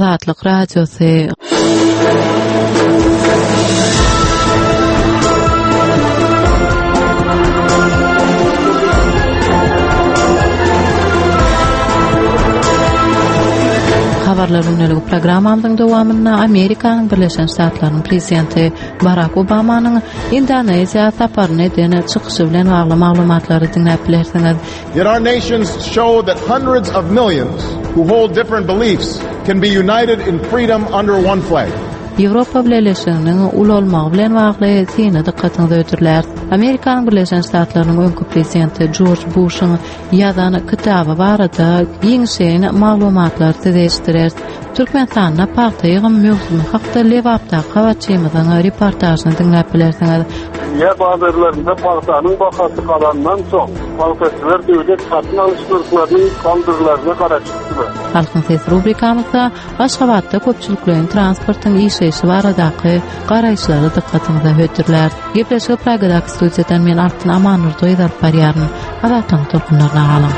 Azatlyk Radiosy. Habarlar gündeligi programmamyzyň dowamynda Amerikanyň Birleşen Ştatlarynyň prezidenti Barak Obamanyň Indoneziýa saparyny eden çykyşy bilen bagly maglumatlary diňläp bilersiňiz. Yet our nations show that hundreds of millions who hold different beliefs can be united in freedom under one flag. Ýewropa Bileleşiginiň ulalmagy bilen bagly syny dykgatyňyza hödürläris. Amerikanyň Birleşen Ştatlarynyň öňki prezidenti Jorj Buşuň ýazan kitaby barada giňişleýin maglumatlary size eşitdireris. Türkmenistanda pagta ýygym möwsümi hakda Lebapdaky habarçymyzyň reportažyny diňläp bilersiňiz. Dünýä bazarlarynda pagtanyň bahasy galandan soň, pagtaçylar döwlet satyn alyş nyrhlarynyň galdyrlaryna garaşypdylar. Halkyň sesi rubrikamyzda Aşgabatda köpçülikleýin transportyň işleýşi baradaky garaýyşlary dykgatyňyza hödürläris. Gepleşigi Pragadaky studiýadan men Altyn Amannurdyýew alyp barýaryn. Azatlygyň tolkunlaryna galyň.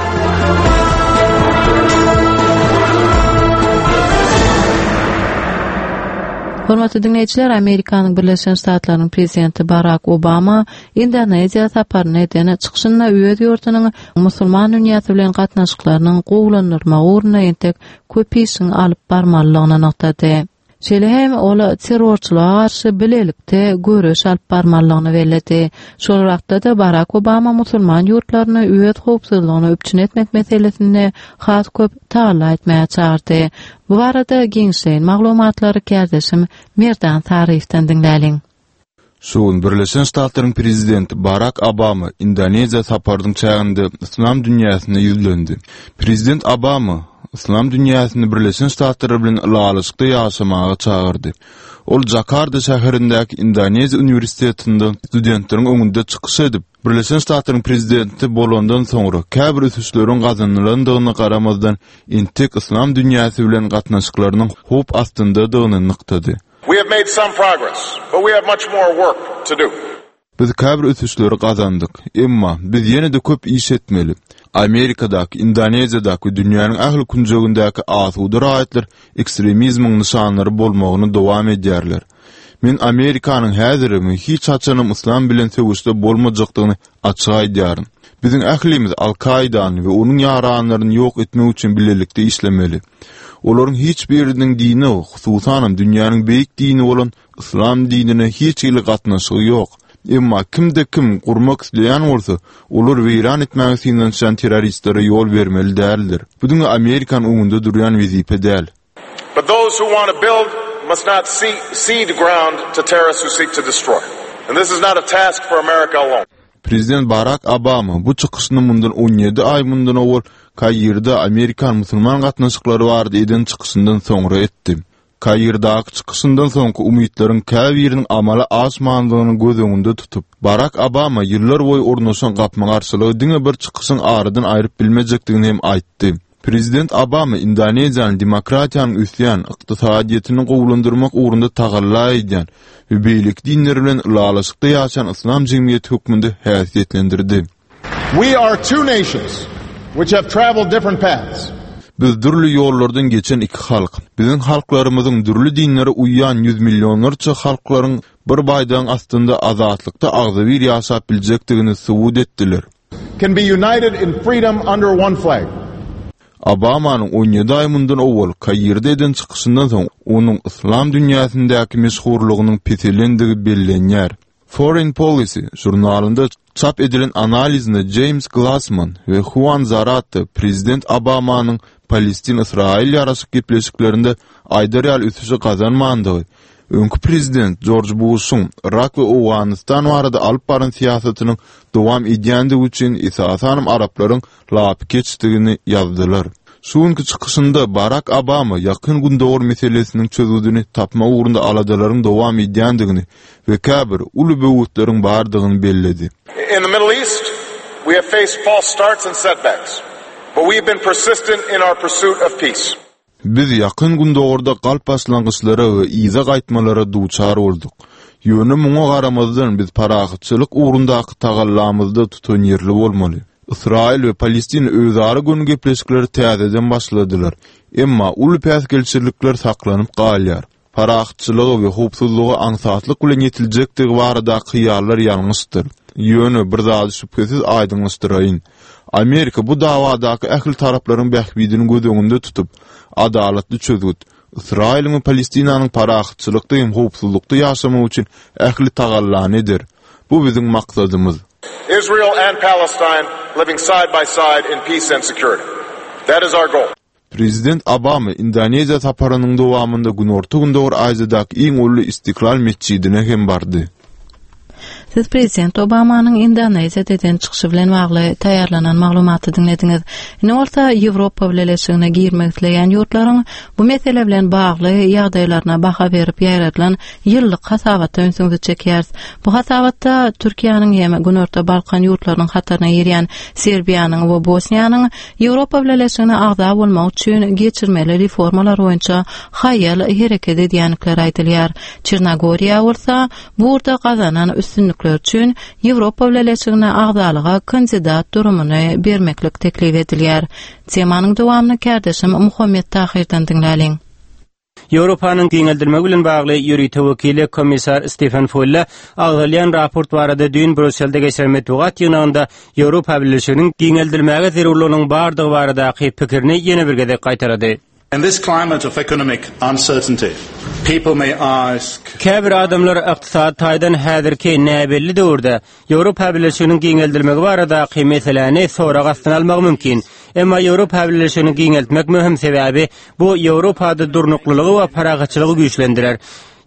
Hormatly diňleýjiler, Amerikanyň Birleşen Ştatlarynyň prezidenti Barak Obama Indoneziýa saparyny eden çykyşynda öz ýurdunyň musulman dünýäsi bilen gatnaşyklarynyň gowulandyrylmagy ugrunda entek köp işiň alyp barmalydygyny nygtady. Şeýle hem ol terrorçylyga garşy bilelikde göreş alyp barmalydygyny belledi. Şol wagtda-da Barak Obama musulman ýurtlaryny öz howpsuzlygyny üpjün etmek meselesinde has köp tagalla etmäge çagyrdy. Bu barada giňişleýin maglumatlary kärdeşim Merdan Saryýewden diňläliň. Şu gün Birleşen Ştatlaryň prezidenti Barak Obama Indoneziýa saparynyň çäginde yslam dünýäsine ýüzlendi. Prezident Obama yslam dünýäsini Birleşen Ştatlar bilen ylalaşykda ýaşamaga çagyrdy. Ol Jakarta şäherindäki Indoneziýa uniwersitetinde studentleriň öňünde çykyş edip, Birleşen Ştatlaryň prezidenti bolandan soňra käbir ösüşleriň gazanylandygyna garamazdan, entek yslam dünýäsi bilen gatnaşyklarynyň howp astyndadygyny nygtady. We have made some progress, but we have much more work to do. Biz käbir ösüşleri gazandyk, emma biz ýene-de köp iş etmeli. Amerikadaky, Indoneziýadaky we dünýäniň ähli künjegindäki asuda raýatlar ekstremizmiň nyşanlary bolmagyny dowam edýärler. Men Amerikanyň häzirem we hiç haçanam yslam bilen söweşde bolmajakdygyny açyk aýdýaryn. Biziň ählimiz Al-Kaidany we onuň ýaranlaryny ýok etmek üçin bilelikde işlemeli. Olaryň hiç biriniň dine, hususanam dünýäniň beýik dini bolan yslam dinine hiç hili gatnaşygy ýok. Emma kimde-kim gurmak isleýän bolsa, olar weýran etmäge synanyşýan terroristlere ýol bermeli däldir. Bu diňe Amerikanyň öňünde durýan wezipe däl. But those who want to build must not cede ground to terrorists who seek to destroy. And this is not a task for America alone. Prezident Barak Obama bu çykyşyny mundan 17 aý mundan owal Kairde amerikan-musulman gatnaşyklary barada eden çykyşyndan soňra etdi. Kairdaky çykyşyndan soňky umytlaryň käbiriniň amala aşmandygyny göz öňünde tutup, Barak Obama ýyllar boýy ornaşan gapma-garşylygy diňe bir çykyşyň aradan aýryp bilmejekdigini hem aýtdy. Prezident Obama Indoneziýany demokratiýanyň ösýän, ykdysadyýetini gowulandyrmak ugrunda tagalla edýän we beýleki dinler bilen ylalaşykda ýaşaýan yslam jemgyýeti hökmünde häsiýetlendirdi. We are two nations which have traveled different paths. Biz dürli ýollardan geçen iki halk. Biziň halklarymyzyň dürli dinlere uýýan ýüz millionlarça halklaryň bir baýdagyň astynda azatlykda agzybir ýaşap biljekdigini subut etdiler. Can be united in freedom under one flag. Obamanyň 17 aý mundan owal Kairde eden çykyşyndan soň onuň yslam dünýäsindäki meşhurlygynyň peselendigi bellenýär. Foreign Policy žurnalynda çap edilen analizinde Jeýms Glassman we Huan Zarate prezident Obamanyň Palestin-Ysraýyl ýaraşyk gepleşiklerinde aýdar ýaly ösüşi gazanmandygy, öňki prezident Jorj Buşuň Yrak we Owganystan barada alyp baran syýasatynyň dowam edýändigi üçin esasanam araplaryň lapykeçdigini ýazdylar. Şu günki çykyşynda Barak Obama Ýakyn Gündogar meselesiniň çözgüdini tapmak ugrunda aladalaryň dowam edýändigini we käbir uly böwetleriň bardygyny belledi. In the Middle East, we have faced false starts and setbacks, but we have been persistent in our pursuit of peace. Biz Ýakyn Gündogarda galp başlangyçlara we yza gaýtmalara duçar bolduk. Ýöne muňa garamazdan biz parahatçylyk ugrundaky tagallamyzda tutanýerli bolmaly. Ysraýyl we Palestina özara göni gepleşikleri täzeden başladylar. Emma uly päsgelçilikler saklanyp galýar. Parahatçylyga we howpsuzlyga aňsatlyk bilen ýetiljekdigi baradaky hyýallar ýalňyşdyr. Ýöne bir zady şübhesiz aýdyňlaşdyraýyn. Amerika bu dawadaky ähli taraplaryň bähbidini göz öňünde tutup, adalatly çözgüt, Ysraýylyň we Palestinanyň parahatçylykda hem howpsuzlykda ýaşamagy üçin ähli tagallany eder. Bu biziň maksadymyz. Israel and Palestine living side by side in peace and security. That is our goal. Prezident Obama Indoneziýa saparynyň dowamynda Günorta-Gündogar Aziýadaky iň uly Istiklal metjidine hem bardy. Siz Prezident Obamanyň Indoneziýada eden çykyşy bilen bagly taýýarlanan maglumaty diňlediňiz. Indi bolsa Ýewropa Bileleşigine girmek isleýän ýurtlaryň bu mesele bilen bagly ýagdaýlaryna baha berip ýaýradylan ýyllyk hasabata ünsüňizi çekýäris. Bu hasabatda Türkiýäniň hem Günorta Balkan ýurtlarynyň hataryna girýän Serbiýanyň we Bosniýanyň Ýewropa Bileleşigine agza bolmak üçin geçirmeli reformalar boýunça haýal hereket edýändikleri aýdylýar. Çernogoriýa bolsa bu ugurda gazanan üstünlikleri üçin Ýewropa Bileleşigine agzalyga kandidat durumyny bermeklik teklip edilýär. Temanyň dowamyny kärdeşim Muhammet Tahyrdan diňläliň. Ýewropanyň giňeldilmegi bilen bagly ýörite wekili komissar Stefen Fulle agzalýan raport barada düýn Brýusselde geçiren metbugat ýygnagynda Ýewropa Bileleşiginiň giňeldilmäge zerurlygynyň bardygy baradaky pikirini ýene bir gezek gaýtalady. In this climate of economic uncertainty, people may ask. Käbir adamlar ykdysady taýdan häzirki näbelli döwürde Ýewropa Bileleşiginiň giňeldilmegi baradaky meseläni sorag astyna almagy mümkin. Emma Ýewropa Bileleşigini giňeltmek möhüm, sebäbi bu Ýewropada durnuklylygy we parahatçylygy güýçlendirer.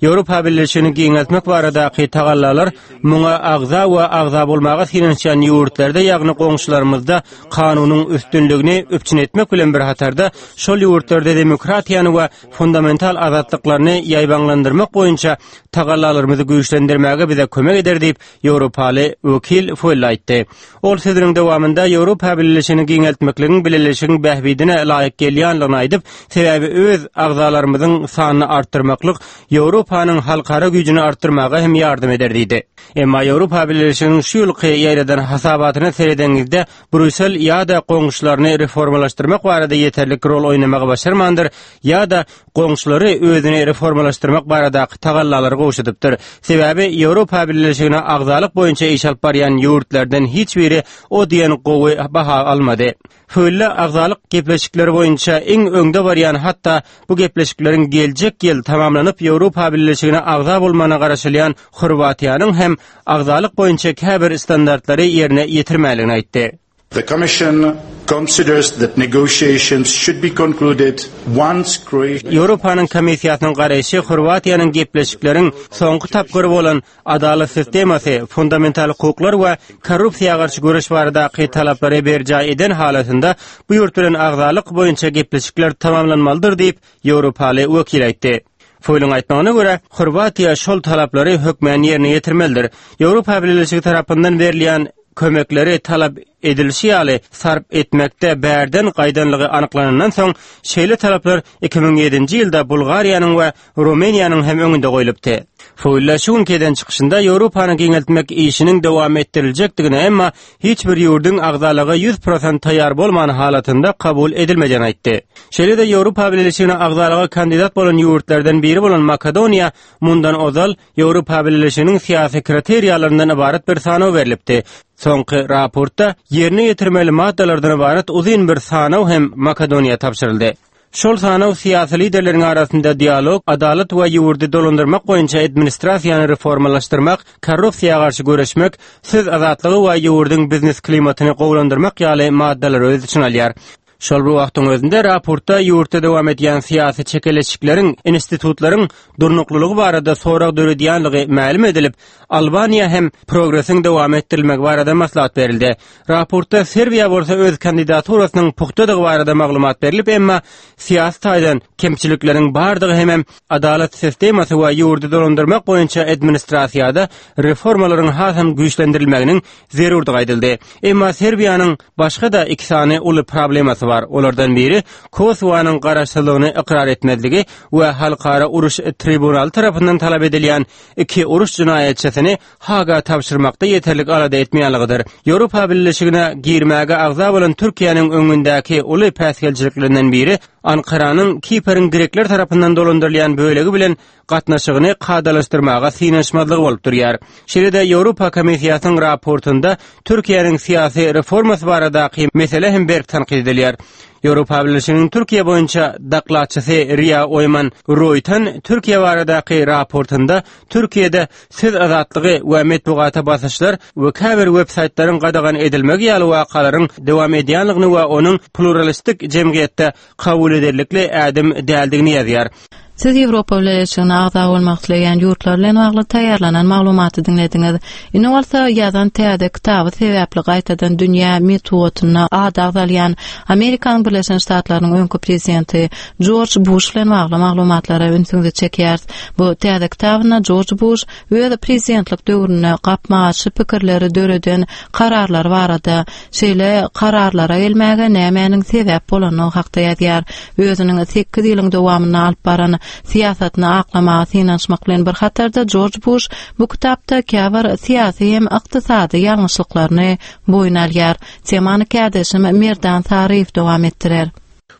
Ýewropa Bileleşigini giňeltmek baradaky tagallalar muňa agza we agza bolmaga synanyşýan ýurtlarda, ýagny goňşularymyzda kanunyň üstünligini üpjün etmek bilen bir hatarda, şol ýurtlarda demokratiýany we fundamental azatlyklaryny ýaýbaňlandyrmak boýunça tagallalarymyzy güýçlendirmäge bize kömek eder diýip, ýewropaly wekil Fuell aýtdy. Ol sözüniň dowamynda Ýewropa Bileleşigini giňeltmekligiň bileleşigiň bähbidine laýyk gelýänligini aýdyp, sebäbi öz agzalarymyzyň sanyny artdyrmaklyk Ýewropanyň halkara güýjüni artdyrmaga hem ýardam eder diýdi. Emma Ýewropa Bileleşiginiň şu ýylky ýaýradan hasabatyna seredeniňizde, Brýussel ýa-da goňşularyny reformalaşdyrmak barada ýeterlik rol oýnamagy başarmandyr, ýa-da goňşulary özüni reformalaşdyrmak baradaky tagallalary gowşadypdyr. Sebäbi Ýewropa Bileleşigine agzalyk boýunça iş alyp barýan ýurtlardan hiç biri o diýen gowy baha almady. Fölle agzalyk gepleşikleri boýunça iň öňde barýan hatda bu gepleşikleriň geljek ýyl tamamlanyp Ýewropa Bileleşigine agza bolmagyna garaşylýan Horwatiýanyň hem agzalyk boýunça käbir standartlary ýerine ýetirmänligini aýtdy. The Commission considers that negotiations should be concluded once Croatia. Ýewropanyň Komissiýasynyň garaýşy Horwatiýanyň gepleşikleriň soňky tapgyry bolan adalat sistemasy, fundamental hukuklar we korrupsiýa garşy göreş baradaky talaplary berjaý eden halatynda bu ýurt bilen agzalyk boýunça gepleşikler tamamlanmalydyr diýip, ýewropaly wekil aýtdy. Foýluň aýtmagyna görä, Horwatiýa şol talaplary hökmän ýerine ýetirmelidir. Ýewropa Bileleşigi tarapyndan berilýän kömekleri talap edilişi ýaly sarp etmekde bärden gaýdanlygy anyklanandan soň, şeýle talaplar 2007-nji ýylda Bulgariýanyň we Rumyniýanyň hem öňünde goýlupdy. Fuilla şu günki eden çykyşynda Ýewropany giňeltmek işiniň dowam etdiriljekdigini, emma hiç bir ýurduň agzalyga 100% taýýar bolman halatynda kabul edilmejegini aýtdy. Şeýle-de Ýewropa Bileleşigine agzalyga kandidat bolan ýurtlardan biri bolan Makedoniýa mundan ozal Ýewropa Bileleşiginiň syýasy kriteriýalaryndan ybarat bir sanaw berlipdi. Soňky raportda ýerine ýetirmeli maddalardan ybarat uzyn bir sanaw hem Makedoniýa tabşyryldy. Şol sanaw syýasy liderleriň arasynda dialog, adalat we ýurdy dolandyrmak boýunça administrasiýany reformalaşdyrmak, korrupsiýa garşy göreşmek, söz azatlygy we ýurduň biznes klimatyny gowulandyrmak ýaly maddalary öz içine alýar. Şol bir wagtyň özünde raportda ýurtda dowam edýän syýasy çekeleşikleriň institutlaryň durnuklylygy barada sorag döredýänligi mälim edilip, Albaniýa hem progresiň dowam etdirilmegi barada maslahat berildi. Raportda Serbiýa bolsa öz kandidaturasynyň pugtadygy barada maglumat berlip, emma syýasy taýdan kemçilikleriň bardygy hemem adalat sistemasy we ýurdy dolandyrmak boýunça administrasiýada reformalaryň hasam güýçlendirilmeginiň zerurdygy aýdyldy. Emma Serbiýanyň başga-da iki sany uly problemasy bar. Olardan biri Kosowanyň garaşsyzlygyny ykrar etmezligi we Halkara uruş tribunaly tarapyndan talap edilýän iki uruş jenaýatçysyny Haga tabşyrmakda ýeterlik alada etmeýänligidir. Ýewropa Bileleşigine girmäge agza bolan Türkiýäniň öňündäki uly päsgelçiliklerinden biri. Ankaranyň Kiperiň grekler tarapyndan dolandyrylýan bölegi bilen gatnaşygyny kadalaşdyrmaga synanyşmazlygy bolup durýar. Şeýle-de Ýewropa Komissiýasynyň raportynda Türkiýäniň syýasy reformasy baradaky mesele hem berk tankyt edilýär. Ýewropa Bileleşiginiň Türkiýe boýunça dokladçysy Ria Oýman Roýten Türkiýe baradaky raportynda Türkiýede söz azatlygy we metbugata basyşlar we käbir web-saýtlaryň gadagan edilmegi ýaly wakalaryň dowam edýänligini we onuň pluralistik jemgyýetde kabul ederlikli ädim däldigini ýazýar. Siz Ýewropa Bileleşigine agza bolmak isleýän ýurtlar bilen bagly taýýarlanan maglumaty diňlediňiz. Indi bolsa ýazan täze kitaby sebäpli gaýtadan dünýä metbugatynda ady agzalýan Amerikanyň Birleşen Ştatlarynyň öňki prezidenti Jorj Buş bilen bagly maglumatlara ünsüňizi çekýäris. Bu täze kitabynda Jorj Buş öz prezidentlik döwründe gapma-garşy pikirleri döreden kararlary barada, şeýle kararlara gelmäge nämäniň sebäp bolandygy hakda ýazýar. Özüniň sekiz ýylyň dowamynda alyp baran syýasatyny aklamaga synanyşmak bilen bir hatarda Jorj Buş bu kitapda käbir syýasy hem ykdysady ýalňyşlyklaryny boýun alýar. Temany kärdeşim Merdan Saryýew dowam etdirer.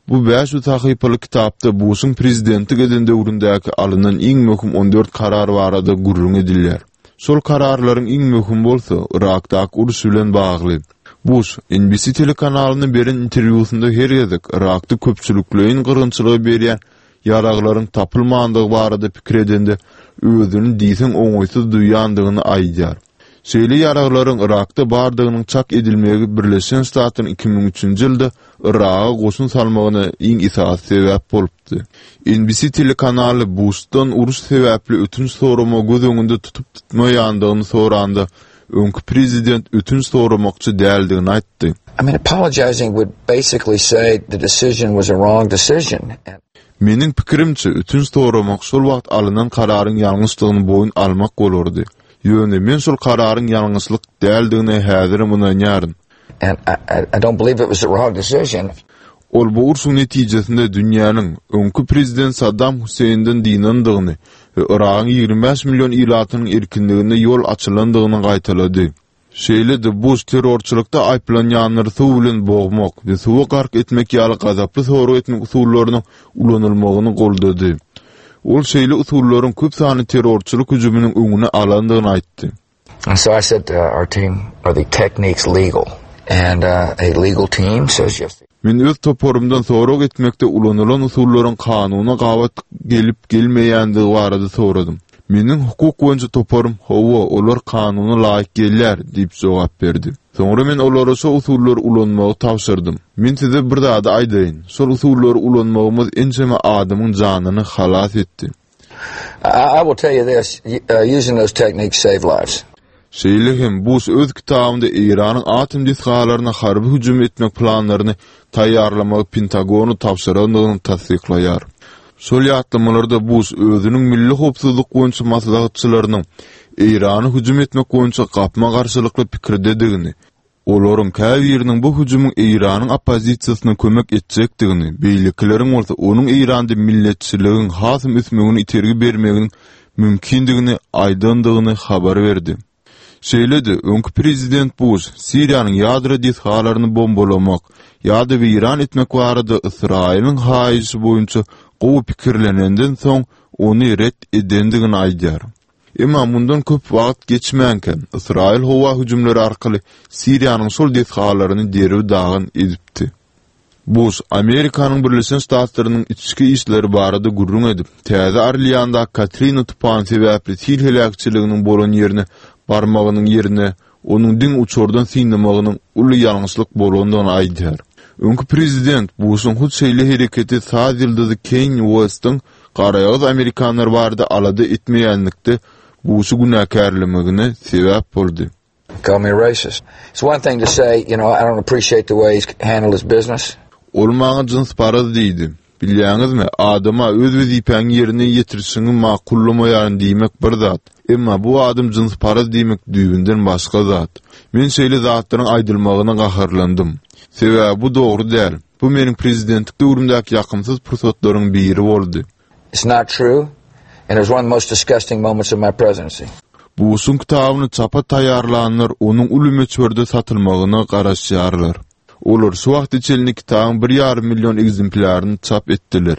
Bu 500 sahypaly kitapda Buşuň prezidentlik eden döwründäki alnan iň möhüm 14 karar barada gürrüň edilýär. Şol kararlaryň iň möhümi bolsa Yrakdaky uruş bilen bagly. Buş, NBC telekanalyna beren interwýusynda her gezek Yrakda köpçülikleýin gyrgynçylygy berýän ýaraglaryň tapylmandygy barada pikir edende özüni diýseň oňaýsyz duýýandygyny aýdýar. Şeýle ýaraglaryň Yrakda bardygynyň çak edilmegi Birleşen Ştatlaryň 2003-nji ýylda Yraga goşun salmagyna iň esasy sebäp bolupdy. NBC telekanaly Buşdan uruş sebäpli ötünç soramagy göz öňünde tutup-tutmaýandygyny soranda, öňki prezident ötünç soramakçy däldigini aýtdy. I mean, apologizing would basically say the decision was a wrong decision. Meniň pikirimçe, ötünç soramak şol wagt alnan kararyň ýalňyşdygyny boýun almak bolardy. Ýöne men şol kararyň ýalňyşlyk däldigine häzirem ynanýaryn. And I, I don't believe it was the wrong decision. Ol bu urşuň netijesinde dünýäniň öňki prezident Saddam Hüseýinden dynandygyny we Yragyň 25 million ilatynyň erkinligine ýol açylandygyny gaýtalady. Şeýle-de Buş terrorçylykda aýyplanýanlary suw bilen bogmak we suwa gark etmek ýaly gazaply sorag etmek usullarynyň ulanylmagyny goldady. Ol şeýle usullaryň köp sanly terrorçylyk hüjüminiň öňüni alandygyny aýtdy. And so I said to our team, are the techniques legal? And uh, a legal team says yes. Men öz toparymdan sorag etmekde ulanylan usullaryň kanuna gabat gelip gelmeýändigi barada soradym. Meniň hukuk boýunça toparym, hawa, olar kanuna laýyk gelýär diýip jogap berdi. Soňra men olara şo usullary ulanmagy tabşyrdym. Men size bir zady aýdaýyn, şol usullary ulanmagymyz ençeme adamyň janyny halas etdi. I will tell you this, uh, using those techniques save lives. Şeýle hem Buş öz kitabynda Eýranyň atom desgalaryna harby hüjüm etmek planlaryny taýýarlamagy Pentagona tabşyrandygyny tassyklaýar. Şol ýatlamalarda Buş özüniň milli howpsuzlyk boýunça maslahatçylarynyň Eýrana hüjüm etmek boýunça gapma-garşylykly pikirdedigini, olaryň käbiriniň bu hüjümiň Eýranyň oppozisiýasyna kömek etjekdigini, beýlekileriň bolsa onuň Eýranda milletçiligiň hasam ösmegine itergi bermeginiň mümkindigini aýdandygyny habar berdi. Şeýle-de, öňki prezident Buş Siriýanyň ýadro desgalaryny bombalamak ýa-da weýran etmek barada Ysraýylyň haýyşy boýunça gowy pikirlenenden soň ony ret edendigini aýdýar. Emma mundan köp wagt geçmänkä, Ysraýyl howa hüjümleri arkaly Siriýanyň şol desgalaryny derbi-dagyn edipdi. Buş, Amerikanyň Birleşen Ştatlarynyň içki işleri barada gürrüň edip, Täze Orleandaky Katrina tupany sebäpli sil heläkçiliginiň bolan ýerine barmagynyň ýerine onuň diňe uçardan synlamagynyň uly ýalňyşlyk bolandygyny aýdýar. Öňki prezident Buşuň hut şeýle hereketi saz ýyldyzy Kenýi Uestiň garaýagyz amerikanlar barada alada etmeýänlikde Buşy günäkärlemegine sebäp boldy. Call me racist. It's one thing to say, you know, I don't appreciate the way he's handled his business. Ol maňa jynsparaz diýdi. Bilýäňizmi, adama öz wezipäňi ýerine ýetirişiňi makullamaýaryn diýmek bir zat, emma bu adam jynsparaz diýmek düýbünden başga zat. Men şeýle zatlaryň aýdylmagyna gaharlandym. Sebäbi bu dogry däl. Bu meniň prezidentlik döwrümdäki ýakymsyz pursatlaryň biri boldy. It's not true and it was one of the most disgusting moments of my presidency. Buşuň kitabyny çapa taýýarlanlar onuň uly möçberde satylmagyna garaşýarlar. Olar şu wagta çenli kitabyň bir ýarym million ekzemplýaryny çap etdiler.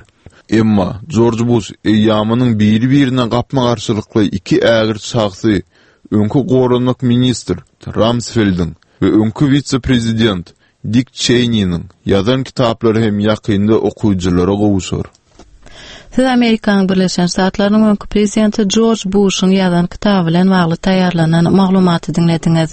Emma Jorj Buş eýýamynyň biri-birine gapma-garşylykly iki ägirt şahsy, öňki goranmak ministr Ramsfeldiň we öňki wise-prezident Dik Çeýniniň ýazan kitaplary hem ýakynda okyjylara gowşar. Siz Amerikanyň Birleşen Ştatlarynyň öňki prezidenti Jorj Buşuň ýazan kitaby bilen bagly taýýarlanan maglumaty diňlediňiz.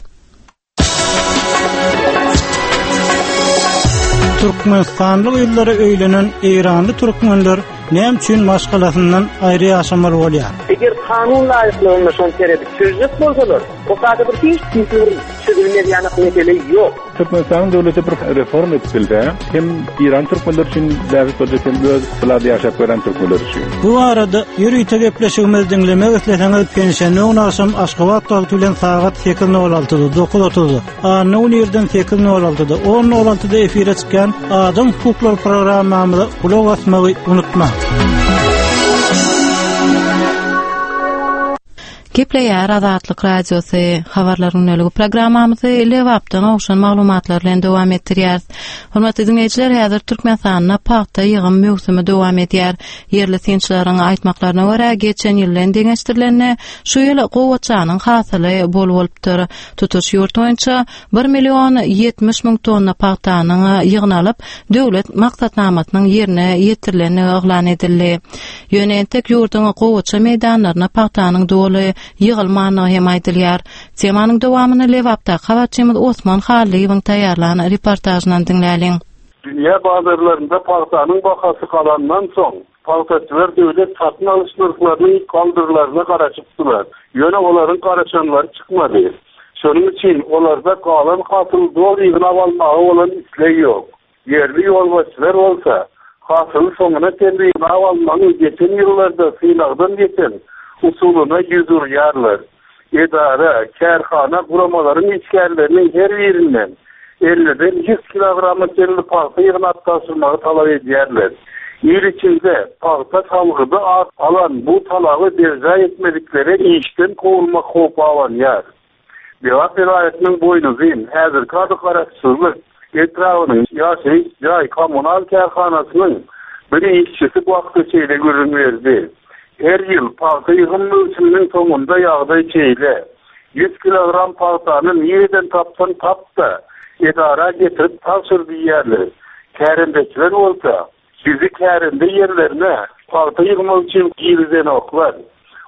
Türkmenistanly gyzlara öýlenen eýranly türkmenler näme üçin maşgalasyndan aýry ýaşamaly bolýar? Eger kanun laýyklygynda şony seredip çözjek bolsalar, o kada bir hiç hili bir çözülmez ýanak mesele ýok. Türkmenistanyň döwleti bir reforma edip bilse, hem Eýran türkmenleri üçin bähbit boljak hem öz bulada ýaşap gören türkmenler üçin. Bu barada ýörite gepleşigimizi diňlemek isleseňiz penşenbe güni agşam Aşgabat wagty bilen sagat 8.06-da, 9.30-da, anna güni irden 8.06-da, 10.06-da efire çykýan Adam hukuklary programmamyza gulak asmagy unutmaň. Gepleýär Azatlyk Radiosy, Habarlar gündeligi programmamyzy Lebapdan gowşan maglumatlar bilen dowam etdirýäris. Hormatly diňleýjiler, häzir Türkmenistanda pagta ýygym möwsümi dowam edýär. Ýerli synçylaryň aýtmaklaryna görä, geçen ýyl bilen deňeşdirilende, şu ýyl gowaçanyň hasyly bol bolupdyr. Tutuş ýurt boýunça bir million 70 müň tonna pagtanyň ýygnalyp, döwlet maksatnamasynyň ýerine ýetirilendigi yglan edildi. Ýöne entek ýurduň gowaça meýdanlaryna pagtanyň doly ýygylmandygy hem aýdylýar. Temanyň dowamyny Lebapdaky habarçymyz Osman Hallyýewiň taýýarlan reportažyndan diňläliň. Dünýä bazarlarynda pagtanyň bahasy galandan soň, pagtaçylar döwlet satyn alyş nyrhlarynyň galdyrlaryna garaşypdylar. Ýöne olaryň garaşanlary çykmady. Şonuň üçin olarda galan hasyly doly ýygnap almaga bolan isleg ýok. Ýerli ýolbaşçylar bolsa, hasyly soňuna çenli ýygnap almagyň geçen ýyllarda synagdan geçen usulyna ýüz urýarlar. Edara, kärhana, guramalaryň işgärleriniň her birinden elliden ýüz kilograma çenli pagta ýygnap tabşyrmagy talap edýärler. Il içinde pagta salgydy at alan bu talaby berjaý etmediklere işden kowulmak howpy abanýar. Lebap welaýatynyň Boýnuzyn, häzirki ady Garaşsyzlyk, etrabynyň ýaşaýyş jaý-kommunal kärhanasynyň bir işçisi bu hakda şeýle gürrüň berdi, Her ýyl pagta ýygym möwsüminiň soňunda ýagdaý şeýle. Ýüz kilogram pagtany nireden tapsaň tap-da, edara getirip tabşyr diýýärler. Kärendeçiler bolsa, Bizi kärende ýerlerine pagta ýygmak üçin girizenoklar.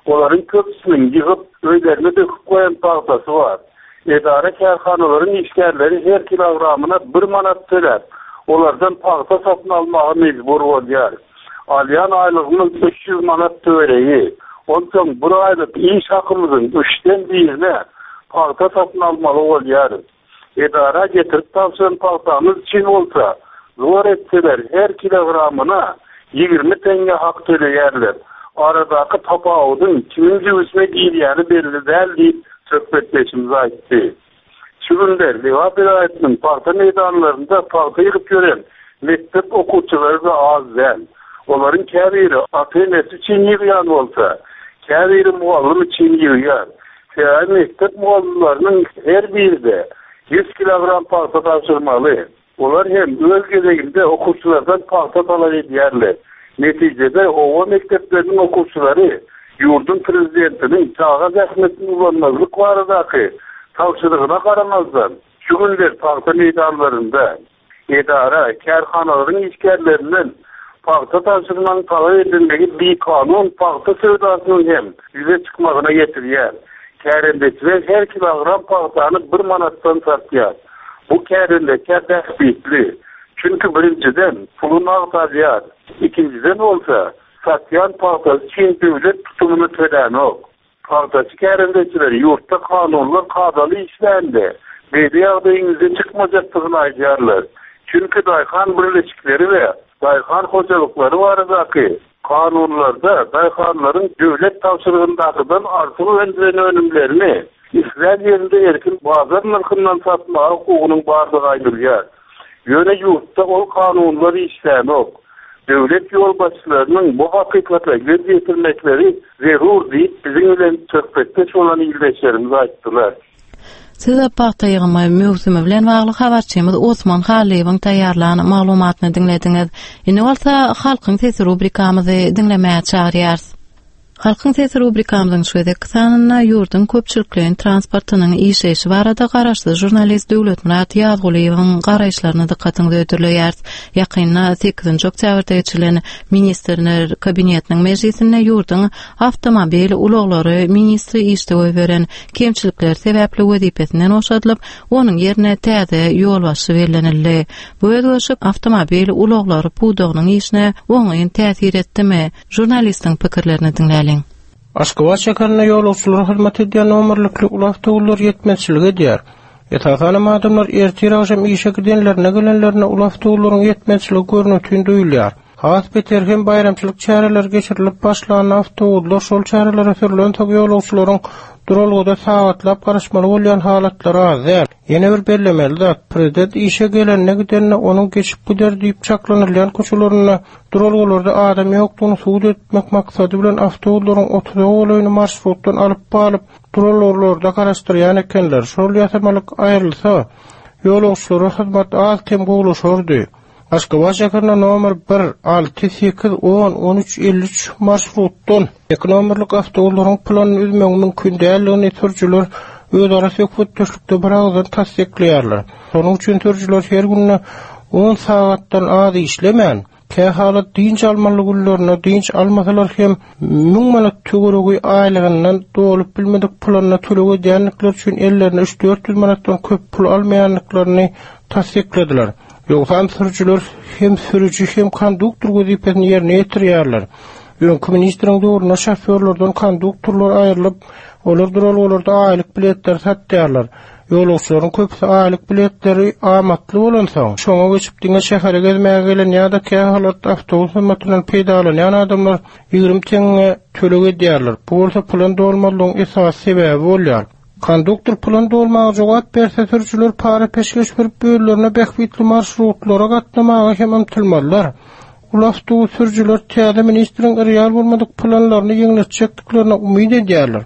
Olaryň köpüsiniň ýygyp, öýlerine döküp goýan pagtasy bar. Edara-kärhanalaryň işgärleri her kilogramyna bir manat töläp, olardan pagta satyn almaga mejbur bolýar. Alýan aýlygymyz 300 manat töweregi. Onsoň bir aýlyk iş hakymyzyň üçden birine pagta satyn almaly bolýarys. Edara getirip tabşyran pagtamyz üçin bolsa, zor etseler her kilogramyna 20 teňňe hak töleýärler. Aradaky tapawudyň kimiň jübüsine girýäni belli däl diýip, söhbetdeşimiz aýtdy. Şu günler Lebap welaýatynyň pagta meýdanlarynda pagta ýygyp ýören mekdep okuwçylary-da az däl. Olaryň käbiri ata-enesi üçin ýygýan bolsa, käbiri mugallym üçin ýygýar. Sebäbi mekdep mugallymlarynyň her biri-de ýüz kilogram pagta tabşyrmaly. Olar hem öz gezeginde okuwçylardan pagta talap edýärler. Netijede, oba mekdepleriniň okuwçylary ýurduň prezidentiniň çaga zähmetini ulanmazlyk baradaky tabşyrygyna garamazdan, şu günler pagta meýdanlarynda. Edara, kärhanalaryň işgärlerinden pagta tabşyrmagyň talap edilmegi bikanun pagta söwdasynyň hem ýüze çykmagyna getirýär. Kärendeçiler her kilogram pagtany bir manatdan satýar. Bu kärendeçä bähbitli. Çünki birinjiden, puly nagt alýar, ikinjiden bolsa, satýan pagtasy üçin döwlet tutumyny tölänok. Pagtaçy kärendeçiler ýurtda kanunlar kadaly işlände, beýle ýagdaýyň ýüze çykmajakdygyny aýdýarlar. Çünki daýhan birleşikleri we daýhan hojalyklary baradaky kanunlarda daýhanlaryň döwlet tabşyrygyndakydan artyk öndüren önümlerini islän ýerinde erkin bazar nyrhyndan satmaga hukugynyň bardygy aýdylýar. Ýöne ýurtda ol kanunlar işlänok. Döwlet ýolbaşçylarynyň bu hakykata göz ýetirmekleri zerur diýip, biziň bilen söhbetdeş bolan ildeşlerimiz aýtdylar. Siz pagta ýygymy möwsümi bilen bagly habarçymyz Osman Hallyýewiň taýýarlan maglumatyny diňlediňiz. Indi bolsa Halkyň sesi rubrikamyzy diňlemäge çagyrýarys. Halkyň sesi rubrikamyzyň şu gezekki sanynda ýurduň köpçülikleýin transportynyň işleýşi barada garaşsyz žurnalist Döwletmyrat Ýazgulyýewiň garaýyşlaryny dykgatyňyza hödürleýäris. Ýakynda sekizinji oktýabrda geçirilen Ministrler Kabinetiniň mejlisinde ýurduň awtomobil ulaglary ministri işde goýberen kemçilikleri sebäpli wezipesinden boşadylyp, onuň ýerine täze ýolbaşçy bellenildi. Bu özgerişik awtomobil ulaglary pudagynyň işine oňyn täsir etdimi? Žurnalistiň pikirlerini diňläliň. Aşgabat şäherinde ýolagçylara hyzmat edýän nomerlikli uly awtoulaglar ýetmezçilik edýär. Esasanam adamlar ertir-agşam işe gidenlerinde gelenlerinde uly awtoulaglaryň ýetmezçiligi görnetin duýulýar. Has beteri hem baýramçylyk çäreleri geçirilip başlanda awtobuslar şol çärelere sürlensoň ýolagçylaryň duralgada sagatlap garaşmaly bolýan halatlary az däl. Ýene bir bellemeli zat, prezident işe gelende-gidende onuň geçip gider diýip çaklanylýan köçelerinde duralgalarda adam ýokdugyny subut etmek maksady bilen awtobuslaryň otuza golaýyny marşrutdan alyp galyp, duralgalarda garaşdyrýan ekenler. Şol ýasamalyk aýrylsa, ýolagçylara hyzmat az-kem gowulaşardy. Aşgabat şäherinde nomer bir, alty, sekiz, on, on üç, 53 marşrutdan eki nomerlik awtoularyň planyny üzmegiň mümkin däldigini sürüjiler özara söhbetdeşlikde biragyzdan tassyklaýarlar. Şonuň üçin sürüjiler her günde on sagatdan az işlemän, kähalat dynç almaly günlerinde dynç almasalar hem müň manat töweregi aýlygyndan dolup bilmedik planyna töleg edýändikleri üçin ellerine üç-dört ýüz manatdan köp pul almaýandyklaryny tassykladylar. Ýogsam sürüjiler hem sürüji hem konduktor wezipesini ýerine ýetirýärler. Öňki ministriň döwründe şofýorlardan konduktorlar aýrylyp, olar duralgalarda aýlyk biletleri satýarlar. Ýolagçylaryň köpüsi aýlyk biletleri amatly bolansoň, şoňa geçip diňe şähere gezmäge gelen ýa-da kähalat awtobus hyzmatyndan peýdalanýan adamlar 20 teňňe töleg edýärler. Bu bolsa plan dolmazlygyň esasy sebäbi bolýar. Konduktor plan dolmaga jogap berse, sürüjiler para-peşgeş berip özlerine bähbitli marşrutlara gatnamaga hem ymtylmazlar. Uly awtobus sürüjiler täze ministriň real bolmadyk planlaryny ýeňletjekdiklerine umyt edýärler.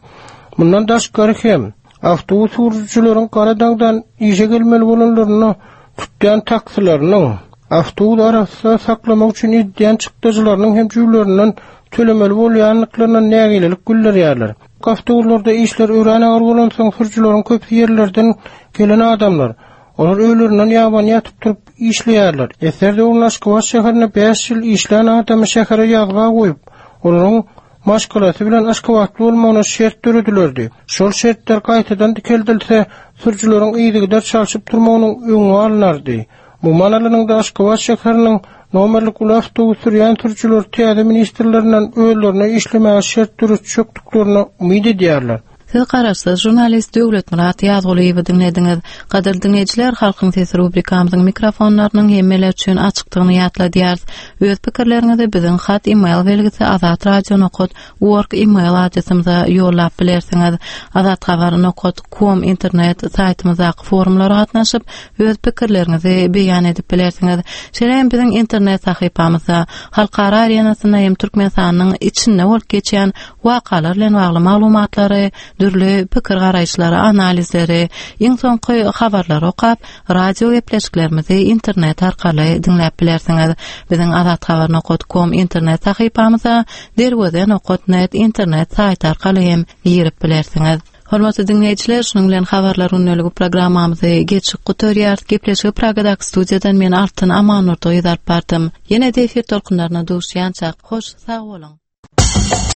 Mundan daşgary hem, awtobus sürüjileriň gara daňdan işe gelmeli bolanlarynda tutýan taksileriniň, awtobus arassa saklamak üçin edýän çykdajylarynyň hem jübülerinden tölemeli bolýandyklaryna nägilelik bildirýärler. Awtoulaglarda işler örän agyr bolansoň, sürüjileriň köpüsi ýerlerden gelen adamlar. Olar öýlerinden ýabany ýatyp turup işleýärler. Eser döwründe Aşgabat şäherinde bäş ýyl işlän adamy şähere ýazga goýup, olaryň maşgalasy bilen aşgabatly bolmagyna şert döredilerdi. Şol şertler gaýtadan dikeldilse, sürüjileriň yzygider çalşyp durmagynyň öňi alnardy. Umuman alanyňda, Aşgabat şäheriniň nomerlik uly awtobus sürýän sürüjiler täze ministrlerinden özlerine işlemäge şert döretjekdiklerine umyt edýärler. Siz garaşsyz žurnalist Döwletmyrat Ýazgulyýewi diňlediňiz. Gadyrly diňleýjiler, Halkyň sesi rubrikamyzyň mikrofonlarynyň hemmeler üçin açykdygyny ýatladýarys. Öz pikirleriňizi biziň hat e-mail belgisi azatradio nokat org e-mail adresimize ýollap bilersiňiz. Azathabar nokat kom internet saýtymyzdaky forumlara gatnaşyp, öz pikirleriňizi beýan edip bilersiňiz. Şeýle hem biziň internet sahypamyzda halkara arenasynda hem Türkmenistanyň içinde bolup geçýän wakalar bilen bagly maglumatlary, dürli pikir-garaýyşlary, analizleri, iň soňky habarlary okap, radio gepleşiklerimizi internet arkaly diňläp bilersiňiz. Biziň azathabar nokat kom internet sahypamyza derweze nokat net internet saýty arkaly hem girip bilersiňiz. Hormatly diňleýjiler, şunuň bilen habarlar gündeligi programmamyzy geçip gutarýarys. Gepleşigi Pragadaky studiýadan men Altyn Amannurdy gyz alyp bardym. Ýene-de efir tolkunlaryna duşýançak, hoş sag boluň!